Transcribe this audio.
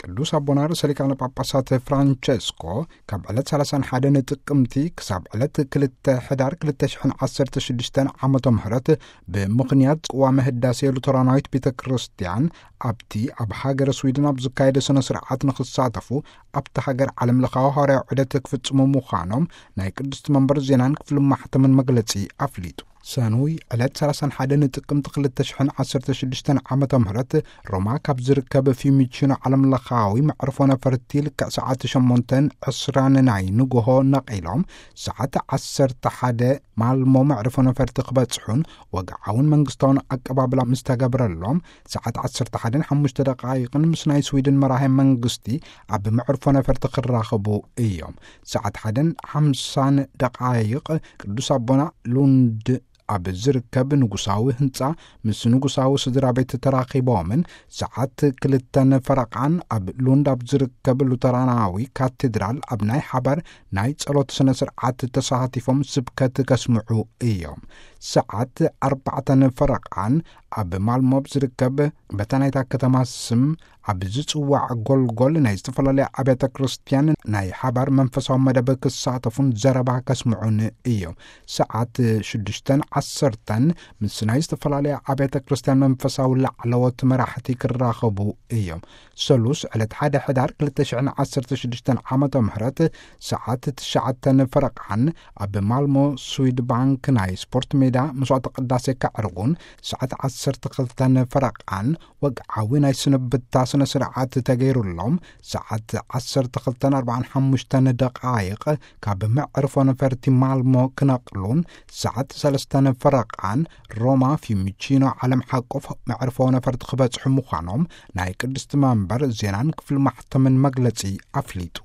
ቅዱስ ኣቦና ርእሰ ሊቃነ ጳጳሳት ፍራንቸስኮ ካብ ዕለት ሰላሳን ሓደን ጥቅምቲ ክሳብ ዕለት ክልተ ሕዳር ክልተ ሽሕን ዓሰርተ ሽዱሽተን ዓመተ ምህረት ብምኽንያት ቅዋመ ህዳሴ ሉተራናዊት ቤተ ክርስቲያን ኣብቲ ኣብ ሃገረ ስዊድን ኣብ ዝካየደ ስነ ስርዓት ንኽሳተፉ ኣብቲ ሃገር ዓለም ለኻዊ ሃዋርያዊ ዑደት ክፍጽሙ ምዃኖም ናይ ቅድስቲ መንበር ዜናን ክፍሊ ማሕተምን መግለጺ ኣፍሊጡ። ሰኑይ ዕለት ሰላሳን ሓደን ጥቅምቲ ክልተ ሽሕን ዓሰርተ ሽዱሽተን ዓመተ ምህረት ሮማ ካብ ዝርከብ ፊዩሚቺኖ ዓለም ለኻዊ መዕርፎ ነፈርቲ ልክዕ ሰዓት ሸሞንተን ዕስራን ናይ ንግሆ ነቒሎም ሰዓት ዓሰርተ ሓደ ማልሞ መዕርፎ ነፈርቲ ክበጽሑን ወግዓውን መንግስታውን ኣቀባብላ ምስ ተገብረሎም ሰዓት ዓሰርተ ሓደን ሓሙሽተ ደቃይቕን ምስ ናይ ስዊድን መራሄ መንግስቲ ኣብ መዕርፎ ነፈርቲ ክራኸቡ እዮም። ሰዓት ሓደን ሓምሳን ደቃይቕ ቅዱስ ኣቦና ሉንድ ኣብ ዝርከብ ንጉሳዊ ህንጻ ምስ ንጉሳዊ ስድራ ቤት ተራኺቦምን ሰዓት ክልተን ፈረቓን ኣብ ሉንድ ኣብ ዝርከብ ሉተራናዊ ካቴድራል ኣብ ናይ ሓባር ናይ ጸሎት ስነ ስርዓት ተሳቲፎም ስብከት ከስምዑ እዮም። ሰዓት ኣርባዕተን ፈረቓን ኣብ ማልሞ ኣብ ዝርከብ በታ ናይታ ከተማ ስም ኣብ ዝጽዋዕ ጎልጎል ናይ ዝተፈላለያ ኣብያተ ክርስቲያን ናይ ሓባር መንፈሳዊ መደብ ክሳተፉን ዘረባ ከስምዑን እዮም። ሰዓት ሽዱሽተን ዓሰርተን ምስ ናይ ዝተፈላለያ ኣብያተ ክርስቲያን መንፈሳዊ ላዕለዎት መራሕቲ ክራኸቡ እዮም። ሰሉስ ዕለት ሓደ ሕዳር ክልተ ሽሕን ዓሰርተ ሽዱሽተን ዓመተ ምህረት ሰዓት ትሽዓተን ፈረቓን ኣብ ማልሞ ስዊድ ባንክ ናይ ስፖርት ሜዳ መስዋዕተ ቅዳሴ ከዕርጉን ሰዓት ዓሰርተ ክልተን ፈረቓን ወግዓዊ ናይ ስንብታ ስነ ስርዓት ተገይሩሎም ሰዓት ዓሰርተ ክልተን ኣርባዓን ሓሙሽተን ደቃይቕ ካብ መዕርፎ ነፈርቲ ማልሞ ክነቕሉን ሰዓት ሰለስተን ፈረቓን ሮማ ፊዩሚቺኖ ዓለም ሓቆፍ መዕርፎ ነፈርቲ ክበጽሑ ምዃኖም ናይ ቅድስቲ መንበር ዜናን ክፍሊ ማሕተምን መግለጺ ኣፍሊጡ።